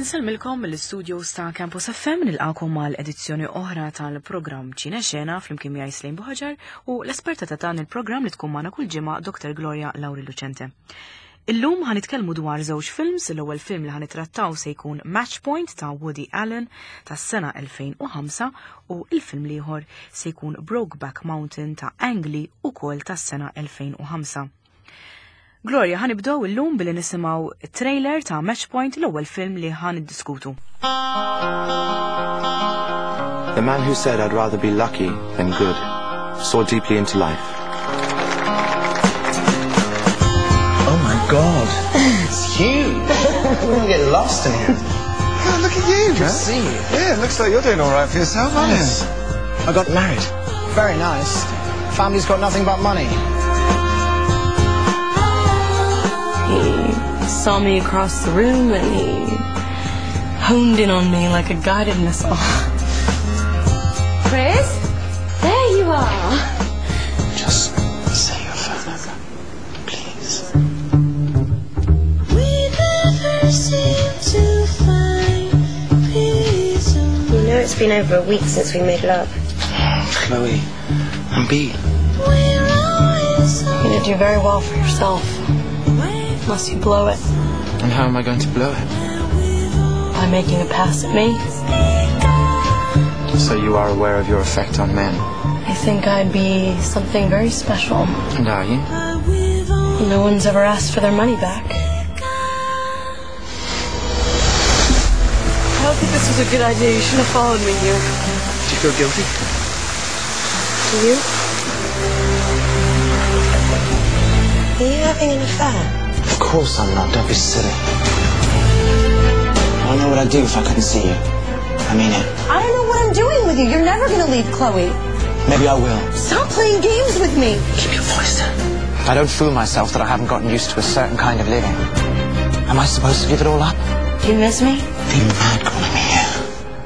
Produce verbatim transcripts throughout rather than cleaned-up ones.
Insellmilkom mill-studios ta' Campus F M, nilqakom mal edizzjoni oħra tal-programm Ċine Xena flimkien miegħi Slejn Buħaġar u l-esperta ta' dan il-programm li tkun magħna kull ġimgħa, Doctor Gloria Lauri Lucente. Illum ħa nitkellmu dwar żewġ films. L-ewwel film li ħa nittrattaw se jkun Match Point ta' Woody Allen tas-sena elfejn u ħamsa u il-film l-ieħor se jkun Brokeback Mountain ta' Ang Lee, ukoll tas-sena elfejn u ħamsa. Gloria, ħa nibdew illum billi nisimgħu trailer ta' Match Point, l-ewwel film li ħa niddiskutu. The man who said, "I'd rather be lucky than good," saw deeply into life. Oh my God. It's huge. We're gonna get lost in here. Oh, look at you, man. See you. Yeah, it looks like you're doing all right for yourself, aren't you? I got married. Very nice. Family's got nothing but money. He saw me across the room and he honed in on me like a guided missile. Chris? There you are. Just say your phone number, please. We never seem to find peace. You know it's been over a week since we made love. Chloe, I'm beat. We're always You're gonna do very well for yourself. Unless you blow it And how am I going to blow it? By making a pass at me. So you are aware of your effect on men. I think I'd be something very special. And are you? No one's ever asked for their money back. I don't think this was a good idea. You shouldn't have followed me here. Do you feel guilty? Do you? Are you having an affair? Of course I'm not. Don't be silly. I don't know what I'd do if I couldn't see you. I mean it. I don't know what I'm doing with you. You're never gonna leave Chloe. Maybe I will. Stop playing games with me. Keep your voice down. I don't fool myself that I haven't gotten used to a certain kind of living. Am I supposed to give it all up? Do you miss me? Be mad calling me here.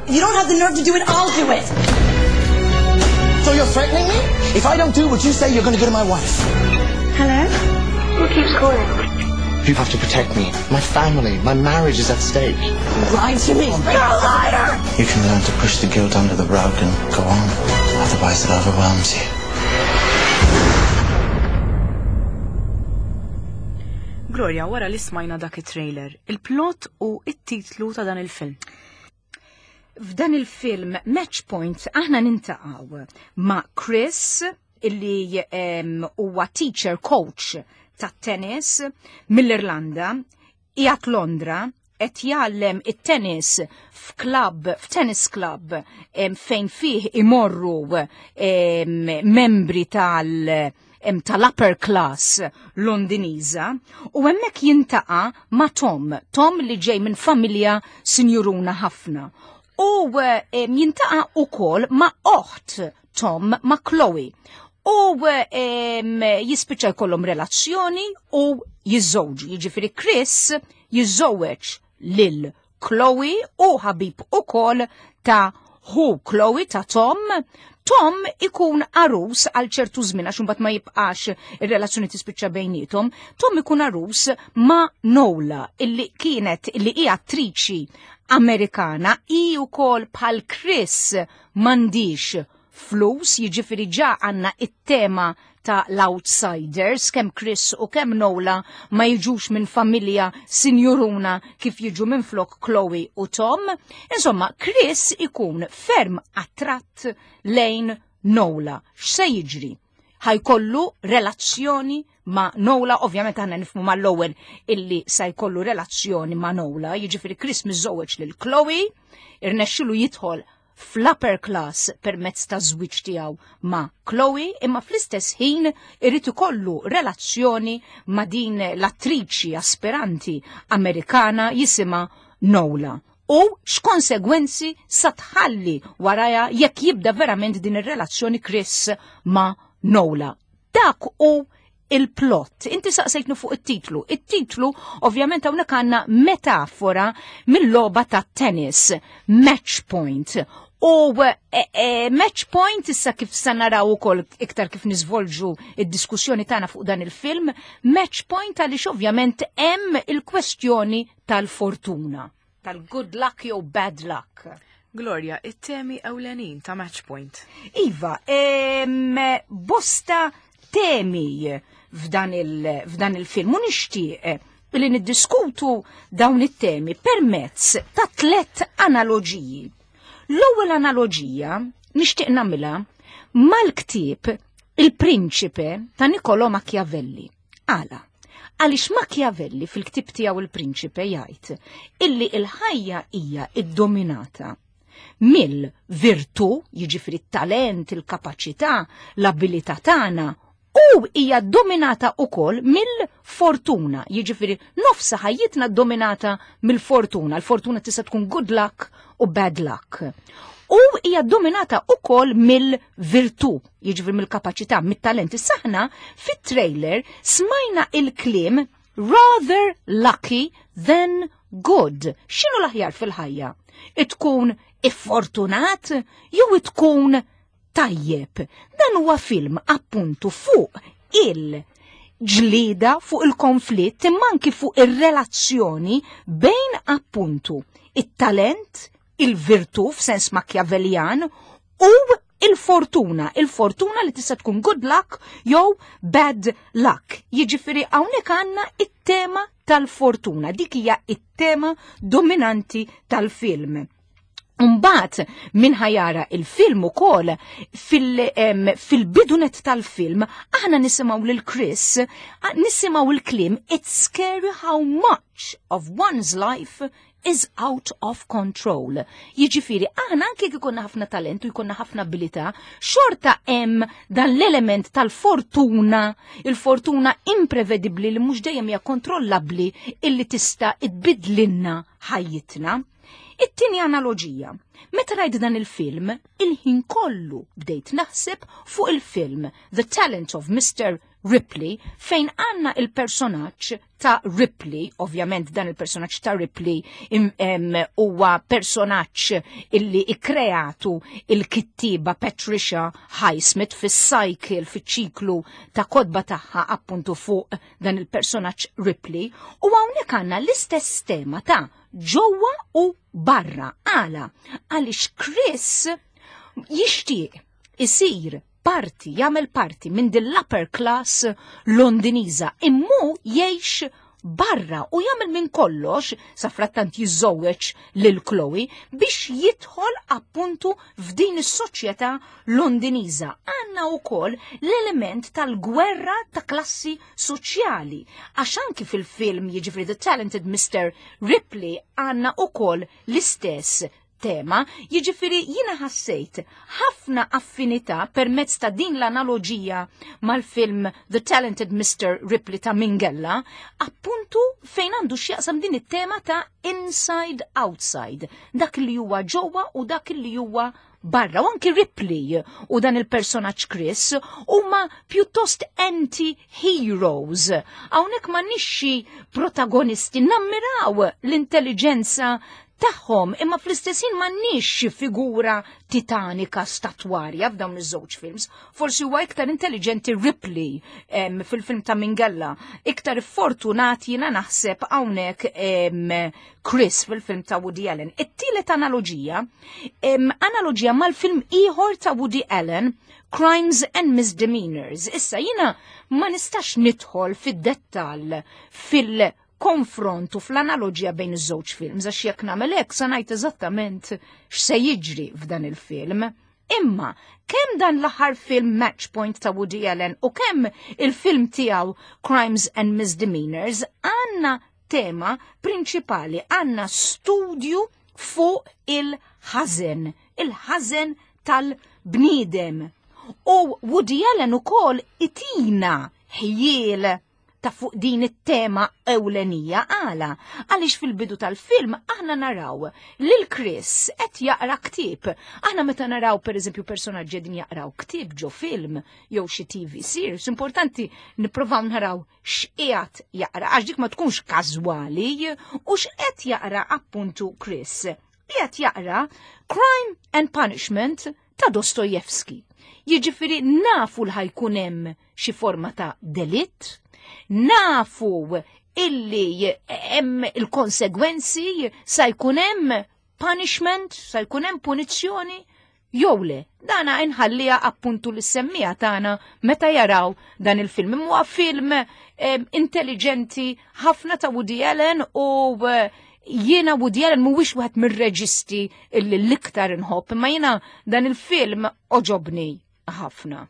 If you don't have the nerve to do it, I'll do it. So you're threatening me? If I don't do what you say, you're going to go to my wife. Hello? Who keeps calling? You have to protect me. My family, my marriage is at stake. You lied to me. You're a liar! You can learn to push the guilt under the rug and go on. Otherwise, it overwhelms you. Gloria, wara li smajna dak it-trailer, il-plot u it-titlu ta' dan il-film. F'dan il-film Match Point aħna niltaqgħu ma' Chris illi em, huwa teacher coach ta' tennis mill-Irlanda, qiegħed Londra, qed jgħallem it-tennis f'klub, f'tennis club em, fejn fih imorru em, membri tal em, tal-upper class Londiniża u hemmhekk jiltaqa' ma' Tom, Tom li ġej minn familja sinjuruna ħafna. U em, jiltaqa' ukoll ma' oħt Tom, ma' Chloe. U em, jispiċċa jkollhom relazzjoni u jiżżewġu. Jiġifieri Chris jiżżewweġ lil Chloe u ħabib ukoll ta' ħu Chloe, ta' Tom. Tom ikun għarus għal ċertu żmien, għax imbagħad ma jibqax, ir-relazzjoni tispiċċa bejniethom. Tom ikun għarus ma' Nola illi kienet illi hija attriċi Amerikana, i wkoll bħal Chris m'għandhiex flus, jiġifieri ġa għandna it-tema ta' l-outsiders, kemm Chris u kemm Nola ma jiġux minn familja sinjuruna kif jiġu minn flok Chloe u Tom. Insomma, Chris ikun ferm attratt lejn Nola. X'se jiġri? Ħa jkollu relazzjoni ma' Nola, ovvjament aħna nifhmu mal-ewwel illi sa jkollu relazzjoni ma' Nola, jiġifieri Chris miżżewweġ lil Chloe, irnexxilu jidħol fl-upper class permezz ta' żwieġ tiegħu ma' Chloe, imma fl-istess ħin irid ikollu relazzjoni ma' din l-attriċi aspiranti Amerikana jisimha Nola. U x'konsegwenzi sa tħalli waraja jekk jibda verament din ir-relazzjoni Chris ma' Nola? Dak hu il-plot. Inti saqsejtnu fuq it-titlu. It-titlu ovvjament hawnhekk għandna metafora mill-logħba ta' tennis, Match Point. U e, e, match point issa, kif sa naraw ukoll iktar kif niżvolġu id-diskussjoni tagħna fuq dan il-film, match point għaliex ovvjament hemm il-kwestjoni tal-fortuna. tal-good luck jew bad luck. Gloria, it-temi ewlenin ta' Match Point. Iva, em, bosta temi f'dan il- f'dan il-film u nixtieq li niddiskutu dawn it-temi permezz ta' tlet analoġiji. L-ewwel analoġija nixtieq nagħmilha mal-ktieb Il-Prinċipe ta' Niccolò Machiavelli. Għala, għaliex Machiavelli fil-ktieb tiegħu Il-Prinċipe jgħid illi il-ħajja hija iddominata mill-virtù, jiġifieri t-talent, il-kapaċità, l-abilità tagħna, u hija dominata ukoll mill-fortuna, jiġifieri nofsa ħajjitna dominata mill-fortuna. Il-fortuna tista' tkun good luck u bad luck. U hija dominata ukoll mill-virtù, jiġifieri mill-kapaċità, mit-talent. Issa aħna fit-trailer smajna il-kliem "rather lucky than good". X'inhu l-aħjar fil-ħajja? Tkun iffortunat jew tkun tajjeb? Dan huwa film appuntu fuq il-ġlida, fuq il-konflitt, imma anki fuq ir-relazzjoni bejn appuntu it-talent, il-virtù f'sens Machiavellian u il-fortuna, il-fortuna li tista' tkun good luck jew bad luck. Jiġifieri hawnhekk għandna it-tema tal-fortuna, dik hija it-tema dominanti tal-film. Mbagħad min ħa jara il-film ukoll, fil-bidu nett tal-film aħna nisimgħu lil Chris, nisimgħu il-kliem "It's scary how much of one's life is out of control". Jiġifieri aħna anke jekk ikollna ħafna talent u jkollna ħafna abilità, xorta hemm dan l-element tal-fortuna, il-fortuna imprevedibbli li mhux dejjem hija kontrollabbli, illi tista' tbidlilna ħajjitna. It-tieni analoġija. Meta rajt dan il-film, il-ħin kollu bdejt naħseb fuq il-film The Talent of Mister Ripley, fejn għandna il-personaġġ ta' Ripley. Ovvjament dan il-personaġġ ta' Ripley huwa personaġġ illi ikkreatu il-kittiba Patricia Highsmith fis-cycle, fiċ-ċiklu ta' kotba tagħha appuntu fuq dan il-personaġġ Ripley, u hawnhekk għandna l-istess tema ta' ġewwa u barra. Għala? Għaliex Chris jixtieq isir parti, jagħmel parti minn din l-upper class Londiniża, imma jgħix barra u jagħmel minn kollox, sa frattant jiżżewweġ lil Chloe, biex jidħol appuntu f'din is-soċjetà Londiniża. Għandna wkoll l-element tal-gwerra ta' klassi soċjali. Għax anki fil-film, jiġifieri The Talented Mister Ripley, għandna wkoll l-istess tema, jiġifieri jiena ħassejt ħafna affinità permezz ta' din l-analoġija mal-film The Talented Mister Ripley ta' Minghella, appuntu fejn għandu x'jaqsam din it-tema ta' inside outside, dak li huwa ġewwa u dak li huwa barra. U anki Ripley u dan il-personaġġ Chris huma pjuttost anti-heroes. Hawnhekk m'għandniex xi protagonisti, nammiraw l-intelligenza tagħhom, imma fl-istess ħin m'għandniex xi figura titanika statwarja f'dawn iż-żewġ films. Forsi huwa iktar intelligenti Ripley em, fil-film ta' Minghella, iktar fortunat jiena naħseb hawnhekk em, Chris fil-film ta' Woody Allen. It-tielet analoġija, em, analoġija mal-film ieħor ta' Woody Allen, Crimes and Misdemeanors. Issa jiena ma nistax nidħol fid-dettall fil- konfrontu fl-analoġija bejn iż-żewġ films, għax jekk nagħmel hekk sa ngħid eżattament x'se jiġri f'dan il-film. Imma kemm dan l-aħħar film Match Point ta' Woody Allen u kemm il-film tiegħu Crimes and Misdemeanors, għandna tema prinċipali, għandna studju fuq il-ħażen, il-ħażen tal-bniedem. U Woody Allen ukoll itina ħjiel ta' fuq din it-tema ewlenija. Għala? Għaliex fil-bidu tal-film aħna naraw lil Chris qed jaqra ktieb. Aħna meta naraw, per eżempju, personaġġi din jaqraw ktieb ġo film jew xi T V series, importanti nipprovaw naraw x'qiegħed jaqra, għax dik ma tkunx każwali, u x'qed jaqra appuntu Chris. Qiegħed jaqra Crime and Punishment ta' Dostoyevsky. Jiġifieri nafu l ħa jkun hemm xi forma ta' delitt, nafu illi hemm il-konsegwenzi, sa jkun hemm punishment, sa jkun hemm punizzjoni, jew le. Dana inħallija appuntu lis-semmiegħa tagħna meta jaraw dan il-film. Huwa film eh, intelligenti ħafna ta' Woody Allen u eh, jiena Woody Allen mhuwiex wieħed mir-reġisti illi l-iktar inħobb, imma jiena dan il-film għoġobni ħafna.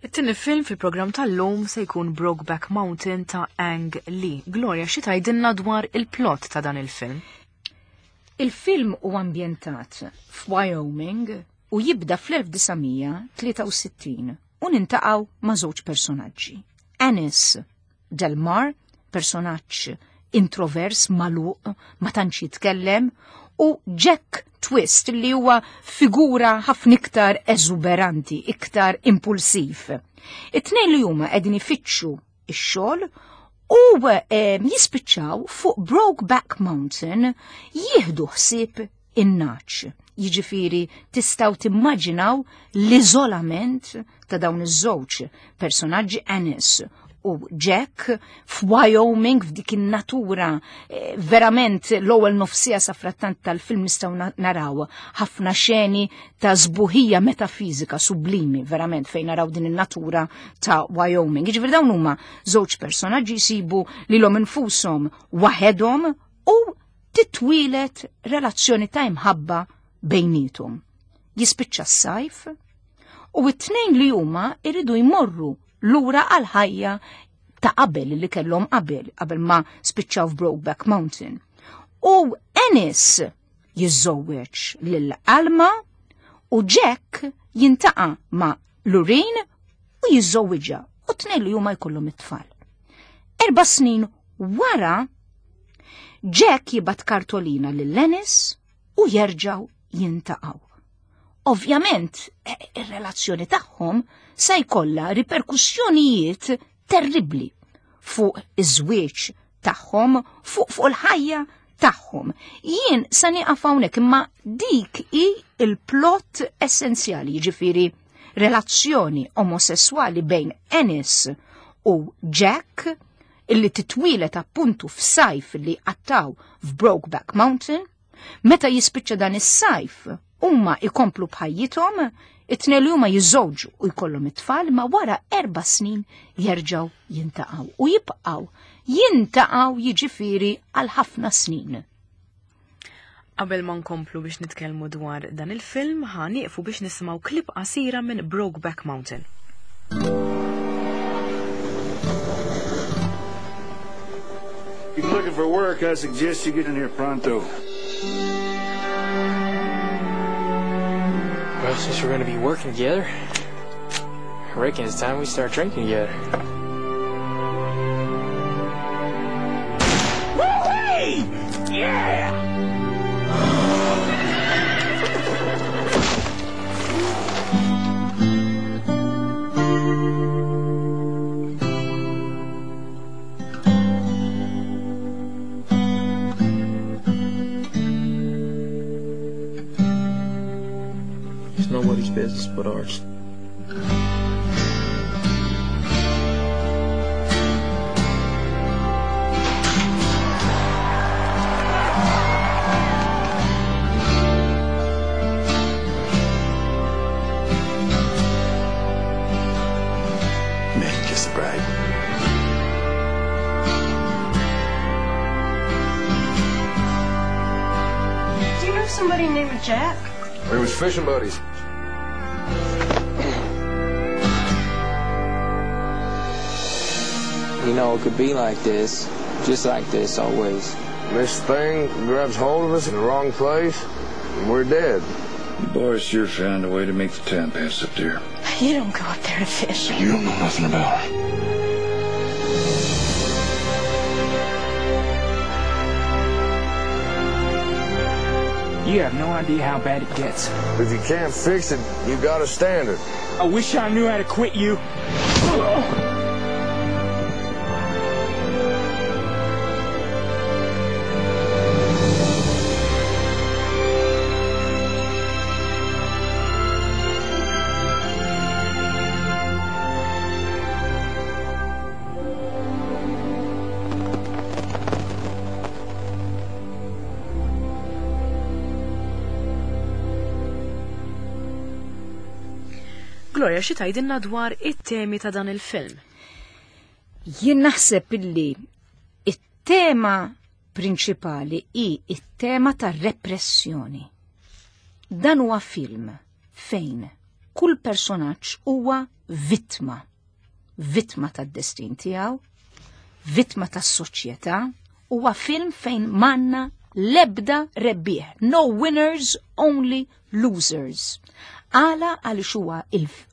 It-tieni film fil-programm tal-lum se jkun Brokeback Mountain ta' Ang Lee. Gloria, xi tgħidilna dwar il-plot ta' dan il-film? Il-film huwa ambjentat f'Wyoming u jibda fl-elf disa' mija tlieta u sittin u niltaqgħu ma' żewġ personaġġi. Ennis Delmar, personaġġ introvers, magħluq, ma tantx jitkellem, u Jack Twist li huwa figura ħafna iktar eżuberanti, iktar impulsiv. It-tnejn li huma qegħdin ifittxu ix-xogħol u eh, jispiċċaw fuq Brokeback Mountain jieħdu ħsieb in-nagħaġ. Jiġifieri tistgħu timmaġinaw l-iżolament ta' dawn iż-żewġ personaġġi, Ennis u Jack, f'Wyoming f'dik in-natura. eh, verament l-ewwel nofsija sa frattant tal-film nistgħu naraw ħafna xeni ta' sbuħija metafizika sublimi, verament, fejn naraw din in-natura ta' Wyoming. Jiġifieri dawn huma żewġ personaġġi jsibu lilhom infushom waħedhom u titwieled relazzjoni ta' imħabba bejnietom. Jispiċċa s-sajf u t-tnejn li huma iridu jmorru lura għal ħajja ta' qabel li kellhom qabel, qabel ma spiċċaw f'Brokeback Mountain. U Ennis jiżżewweġ lil Alma u Jack jiltaqa' ma' Lorraine u jiżżewwiġha u tnejn li huma jkollhom it-tfal. Erba' snin wara, Jack jibgħat kartolina lil Ennis u jerġgħu jiltaqgħu. Ovvjament, ir-relazzjoni tagħhom se jkollha riperkussjonijiet terribli fuq iż-żwieġ tagħhom, fuq fuq il-ħajja tagħhom. Jien sa nieqaf hawnhekk, imma dik hi il-plot essenzjali, jiġifieri relazzjoni omosessuali bejn Ennis u Jack illi titwieled appuntu f'sajf li qattgħu f'Brokeback Mountain. Meta jispiċċa dan is-sajf, huma ikomplu b'ħajjithom, it-tnejn li huma jiżżewġu u jkollhom it-tfal, ma wara erba' snin jerġgħu jiltaqgħu u jibqgħu jiltaqgħu, jiġifieri, għal ħafna snin. Qabel ma nkomplu biex nitkellmu dwar dan il-film, ħa nieqfu biex nisimgħu klip qasira minn Brokeback Mountain. If you're looking for work, I suggest you get in here pronto. Well, since we're gonna be working together, I reckon it's time we start drinking together. Woo-wee! Yeah! It's nobody's business but ours. May I kiss the bride? Do you know somebody named Jack? We was fishing buddies. You know, it could be like this, just like this always. This thing grabs hold of us in the wrong place, and we're dead. You boys sure found a way to make the time pass up there. You don't go up there to fish. You don't know nothing about it. You have no idea how bad it gets. If you can't fix it, you gotta stand it. I wish I knew how to quit you. Gloria, xi tgħidilna dwar it-temi ta' dan il-film? Jien naħseb illi it-tema prinċipali hi it-tema ta' repressjoni. Dan huwa film fejn kull personaġġ huwa vittma. Vittma tad-destin tiegħu, vittma tas-soċjetà, huwa film fejn m'għandna lebda rebbieħ. No winners, only losers. Għala? Għaliex huwa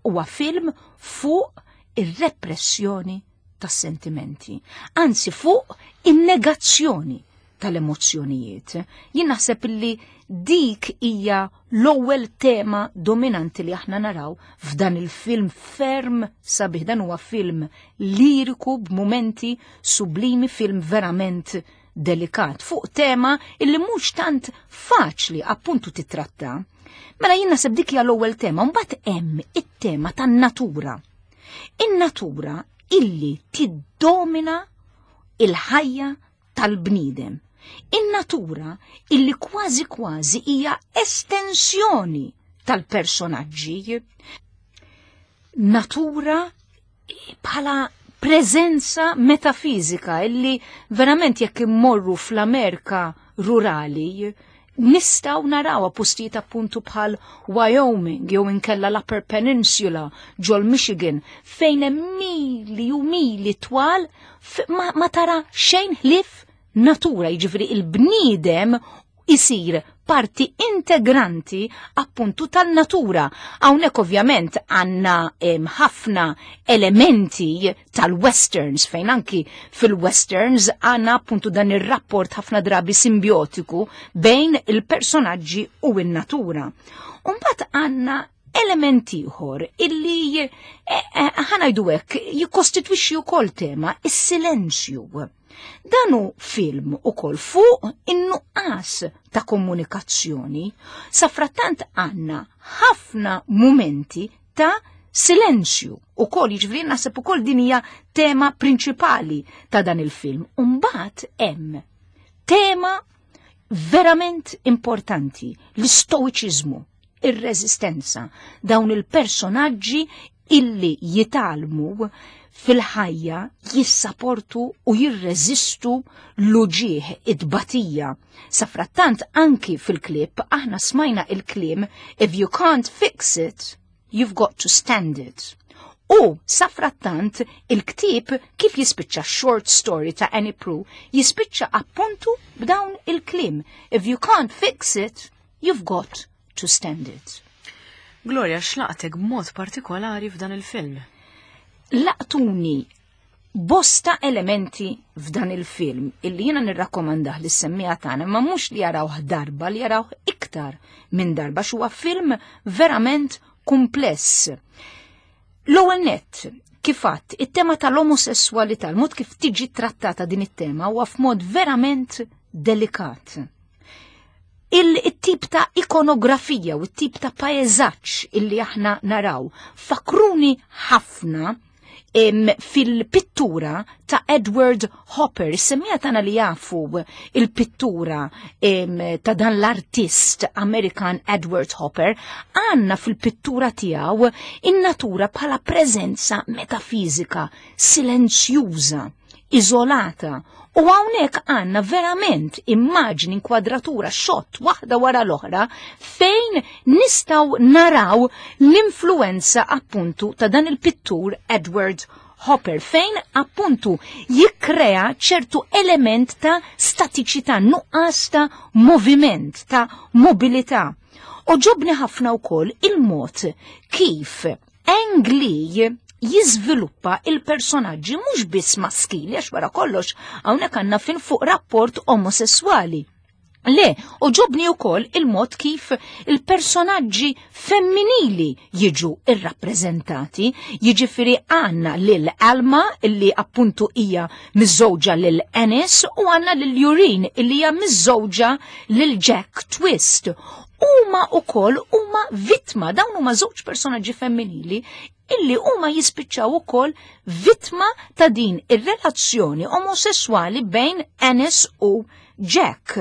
huwa film fuq ir-repressjoni tas-sentimenti, anzi fuq in-negazzjoni tal-emozzjonijiet. Jien naħseb illi dik hija l-ewwel tema dominanti li aħna naraw f'dan il-film ferm sabiħ. Dan huwa film liriku b'mumenti sublimi, film verament delikat fuq tema illi mhux tant faċli appuntu titratta. Mela jien naħseb dik hija l-ewwel tema, mbagħad hemm it-tema tan-natura. In-natura illi tiddomina il-ħajja tal-bniedem. In-natura illi kważi kważi hija estensjoni tal-personaġġi. Natura bħala preżenza metafizika illi verament jekk immorru fl-Amerika rurali nistgħu naraw postijiet appuntu bħal Wyoming jew inkella l-Upper Peninsula ġol Michigan, fejn hemm mili u mili twal ma, ma tara xejn ħlief natura, jiġifieri il-bniedem isir parti integranti appuntu tal-natura. Hawnhekk ovvjament għandna ħafna elementi tal-westerns, fejn anki fil-westerns għandna appuntu dan ir-rapport ħafna drabi simbiotiku bejn il-personaġġi u n-natura. Umbagħad għandna element ieħor illi eh, eh, ħa ngħidu hekk jikkostitwixxi wkoll tema, is-silenzju. Dan hu film ukoll fuq in-nuqqas ta' komunikazzjoni. Safrattant għandna ħafna momenti ta' silenzju ukoll, jiġifieri naħseb ukoll din hija tema prinċipali ta' dan il-film. Umbagħad hemm tema verament importanti, l-istoiċiżmu, ir-reżistenza, dawn il-personaġġi illi jitgħallmu fil-ħajja jissaportu u jirreżistu l-uġieħ, id-batija. Safrattant anki fil-klip aħna smajna il-kliem "If you can't fix it, you've got to stand it." U safrattant il-ktib kif jispiċċa, short story ta' Annie Proulx jispiċċa appuntu b'dawn il-kliem: "If you can't fix it, you've got to stand it." Gloria, x'laqtek b'mod partikolari f'dan il-film? Laqtuni bosta elementi f'dan il-film illi jiena nirrakkomandah lis-semmiegħa tagħna, ma mhux li jarawh darba, li jarawh iktar minn darba, huwa film verament kumpless. L-ewwel nett, kif għedt, it-tema tal-omosessualità, l-mod kif tiġi trattata din it-tema huwa f'mod verament delikat. Il-tip ta' ikonografija u t-tip ta' paeżaġġ illi aħna naraw fakruni ħafna fil-pittura ta' Edward Hopper. Is-semmiegħa tagħna li jafu il-pittura ta' dan l-artist Amerikan Edward Hopper, għandna fil-pittura tiegħu in-natura bħala preżenza metafizika, silenzjuża, iżolata. U hawnhekk għandna verament immaġni, inkwadratura, shot waħda wara l-oħra fejn nistgħu naraw l-influenza appuntu ta' dan il-pittur Edward Hopper, fejn appuntu jikkrea ċertu element ta' statiċità, nuqqas ta' moviment, ta' mobilità. Għoġobni ħafna wkoll il-mod kif Ang Lee jiżviluppa il-personaġġi mhux biss maskili, għax wara kollox hawnhekk għandna film fuq rapport omosessuali. Le, għoġobni wkoll il-mod kif il-personaġġi femminili jiġu irrappreżentati, jiġifieri għandna lil Alma illi appuntu hija miżżewġa lil Ennis u għandna lil Lureen illi hija miżżewġa lil Jack Twist. Huma ukoll huma vittma, dawn huma żewġ personaġġi femminili illi huma jispiċċaw ukoll vittma ta' din ir-relazzjoni omosessuali bejn Ennis u Jack.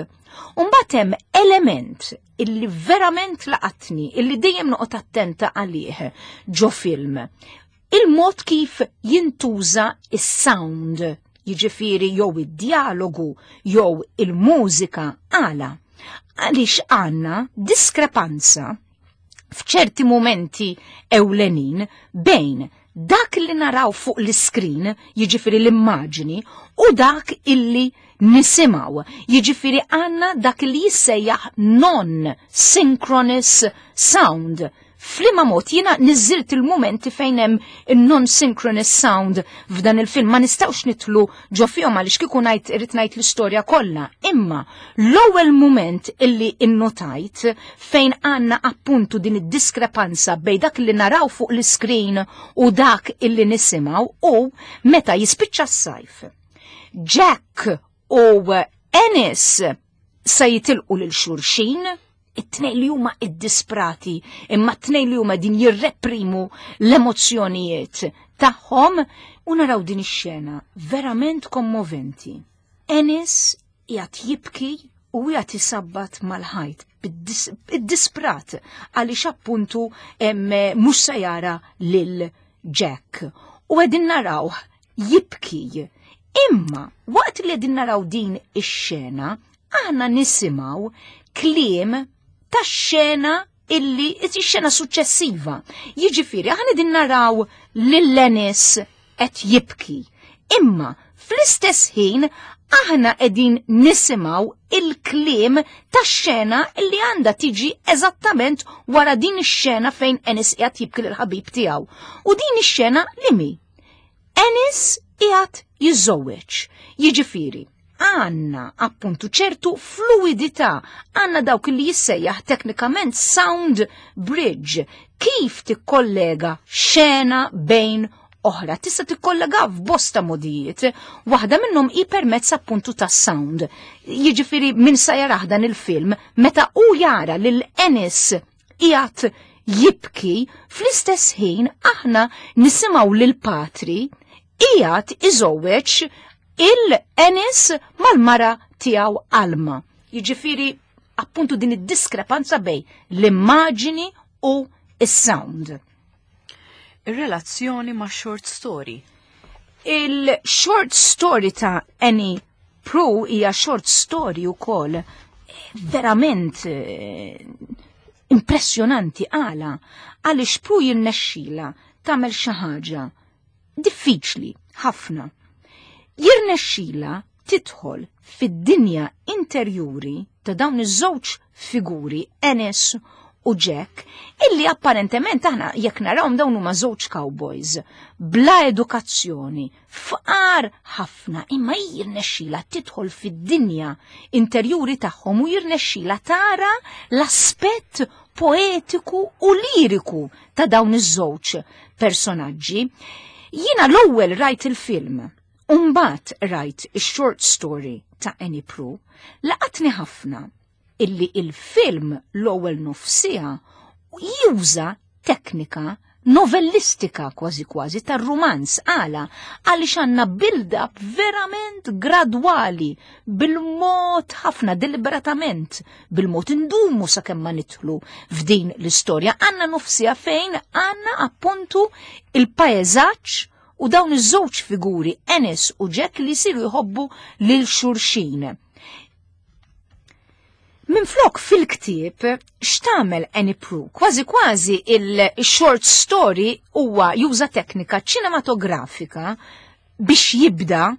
Umbagħad hemm element Illi verament laqatni, illi dejjem noqgħod attenta għalih ġo film. Il-mod kif jintuża is-sound, jiġifieri jew id-dialogu jew il-mużika. Għala? Għaliex għandna diskrepanza f'ċerti momenti ewlenin bejn dak li naraw fuq l-iskrin, jiġifieri l-immaġini, u dak illi nisimgħu. Jiġifieri għandna dak li jissejjaħ non-synchronous sound. F'liema mod jiena niżilt il-momenti fejn hemm il-non-synchronous sound f'dan il-film, ma nistgħux nidħlu ġo fihom għaliex kieku ngħid irrid ngħid l-istorja kollha. Imma l-ewwel moment illi innotajt fejn għandna appuntu din id-diskrepanza bejn dak li naraw fuq l-iskrin u dak illi nisimgħu u meta jispiċċa s-sajf. Jack u Ennis sa jitilqu lil xulxin, it-tnejn li huma iddisprati, imma t-tnejn li huma din jirreprimu l-emozzjonijiet tagħhom, u naraw din ix-xena verament kommoventi. Ennis qiegħed jibki u qiegħed isabbat mal-ħajt id-disprat għaliex appuntu mhux se jara lil Jack. U qegħdin naraw jibki. Imma waqt li qegħdin naraw din ix-xena, aħna nisimgħu kliem ta' xena illi ix-xena suċċessiva. Jiġifieri aħna din naraw lil Ennis qed jibki. Imma fl-istess ħin aħna qegħdin nisimgħu il-kliem ta' xena illi għandha tiġi eżattament wara din ix-xena fejn Ennis qiegħed jibki lill-ħabib tiegħu. U din ix-xena li mi? Ennis qiegħed jiżżewweġ. Jiġifieri, għandna appuntu ċertu fluidità, għandna dawk li jissejjaħ teknikament sound bridge, kif tikkollega xena bejn oħra. Tista' tikkollega f'bosta modijiet, waħda minnhom hi permezz appuntu ta' sound. Jiġifieri min sa jarah dan il-film, meta u jara lil Ennis qiegħed jibki, fl-istess ħin aħna nisimgħu lil patri qiegħed iżewweġ il-Ennis mal-mara tiegħu Alma. Jiġifieri appuntu din id-diskrepanza bejn l-immaġini u is-sound. Ir-relazzjoni ma' short story. Il-short story ta' Annie Proulx hija short story ukoll verament eh, impressjonanti. Għala? Għaliex Proulx jirnexxila tagħmel xi ħaġa diffiċli ħafna. Jirnexxila tidħol fid-dinja interjuri ta' dawn iż-żewġ figuri, Ennis u Jack, illi apparentement aħna jekk narawhom dawn huma żewġ cowboys bla edukazzjoni, fqar ħafna, imma jirnexxila tidħol fid-dinja interjuri tagħhom u jirnexxila tara l-aspett poetiku u liriku ta' dawn iż-żewġ personaġġi. Jiena l-ewwel rajt il-film, u mbagħad rajt ix-short story ta' Annie Proulx, laqatni ħafna illi il-film l-ewwel nofsija juża teknika novellistika, kważi kważi tar-rumanz. Għala? Għaliex għandna build-up verament gradwali, bil-mod ħafna, deliberatament bil-mod, indumu sakemm ma nidħlu f'din l-istorja. Għandna nofsija fejn għandna appuntu il-paeżaġġ u dawn iż-żewġ figuri, Ennis u Jack, li jsiru jħobbu lil xulxin. Minflok fil-ktieb, x'tagħmel Annie Proulx? Kważi kważi il-short story huwa juża teknika ċinematografika biex jibda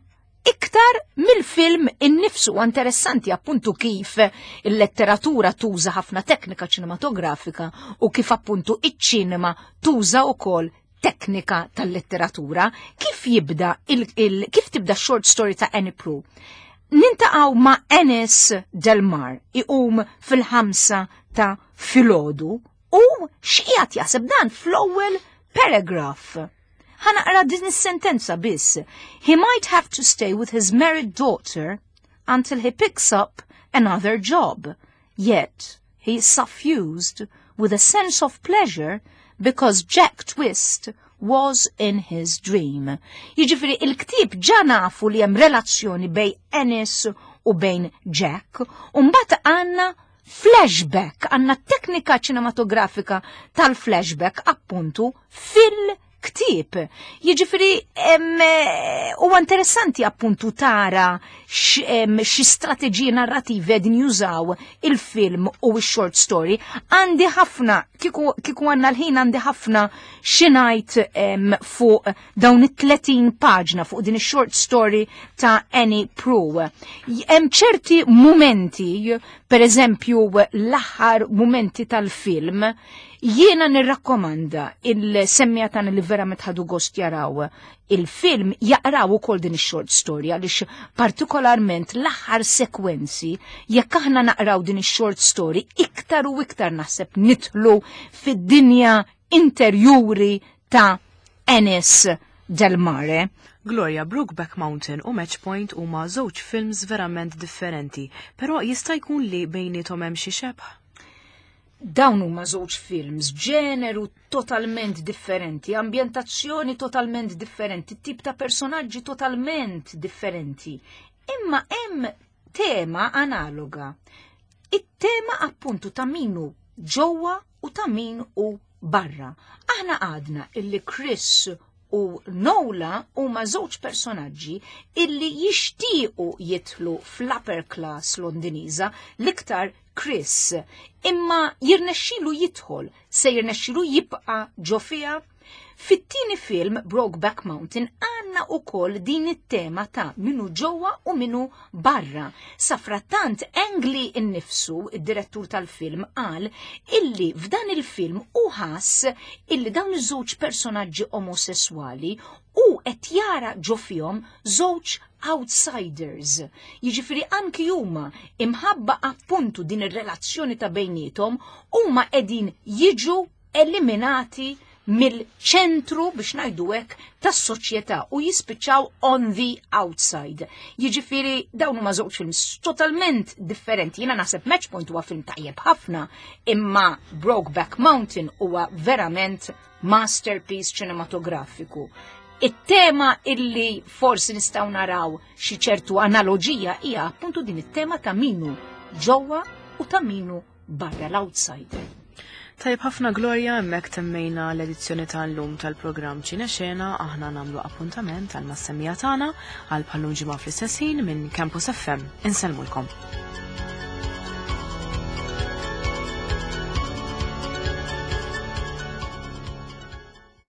iktar mill-film innifsu. Interessanti appuntu kif il-letteratura tuża ħafna teknika ċinematografika u kif appuntu iċ-ċinema tuża wkoll teknika tal-letteratura. Kif jibda il, il, kif tibda short story ta' Annie Proulx? Niltaqgħu ma' Ennis Delmar iqum fil-ħamsa ta' filgħodu u x'qiegħed jaħseb dan fl-ewwel paragraph. Ħa naqra din is-sentenza biss. "He might have to stay with his married daughter until he picks up another job. Yet he is suffused with a sense of pleasure because Jack Twist was in his dream." Jiġifieri il-ktieb ġa nafu li hemm relazzjoni bejn Ennis u bejn Jack, u mbagħad għandna Flashback, għandna teknika ċinematografika tal-flashback appuntu fil-ktieb. Jiġifieri huwa interessanti appuntu tara xi strateġiji narrativi qegħdin jużaw il-film u x-short story. Għandi ħafna, kieku għandna l-ħin, għandi ħafna xi ngħid fuq dawn it-tletin paġna, fuq din ix-short story ta' Annie Proulx. Hemm ċerti momenti, per eżempju l-aħħar momenti tal-film, jiena nirrakkomanda il-semmiegħa tagħna li verament ħadu gost jaraw il-film jaqraw ukoll din ix-short story, għaliex partikolarment l-aħħar sekwenzi, jekk aħna naqraw din ix-short story, iktar u iktar naħseb nidħlu fid-dinja interjuri ta' Ennis Del Mare. Gloria, Brokeback Mountain u Match Point huma żewġ films verament differenti, però jista' jkun li bejniethom hemm xi xebh? Dawn huma żewġ films, ġeneru totalment differenti, ambjentazzjoni totalment differenti, tip ta' personaġġi totalment differenti. Imma hemm tema analoga. It-tema appuntu ta' min hu ġewwa u ta' min hu barra. Aħna għadna illi Chris u Nola huma żewġ personaġġi illi jixtiequ jidħlu fl-upper class Londiniża, l-iktar Chris, imma jirnexxilu jidħol, se jirnexxilu jibqa' ġo fiha? Fit-tieni film, Brokeback Mountain, għandna ukoll din it-tema ta' min hu ġewwa u min hu barra. Safrattant Ang Lee innifsu, id-direttur tal-film, qal illi f'dan il-film u ħass illi dawn iż-żewġ personaġġi omosessuali u qed jara ġo fihom żewġ outsiders. Jiġifieri anki huma, imħabba appuntu din ir-relazzjoni ta' bejniethom, huma qegħdin jiġu eliminati mill-ċentru, biex ngħidu hekk, tas-soċjetà u jispiċċaw on the outside. Jiġifieri dawn huma żewġ films totalment differenti. Jiena naħseb Match Point huwa film tajjeb ħafna, imma Brokeback Mountain huwa verament masterpiece ċinematografiku. It-tema illi forsi nistgħu naraw xi ċertu analoġija hija appuntu din it-tema ta' min hu ġewwa u ta' min hu barra, l-outsider. Tajb ħafna, Gloria, hemmhekk temmejna l-edizzjoni tal-lum tal-programm Ċine Xena. Aħna nagħmlu appuntament għal mas-semmiegħa tagħna għal bħal-lum ġimgħa fl-istess ħin minn Campus F M. Insellmulkom.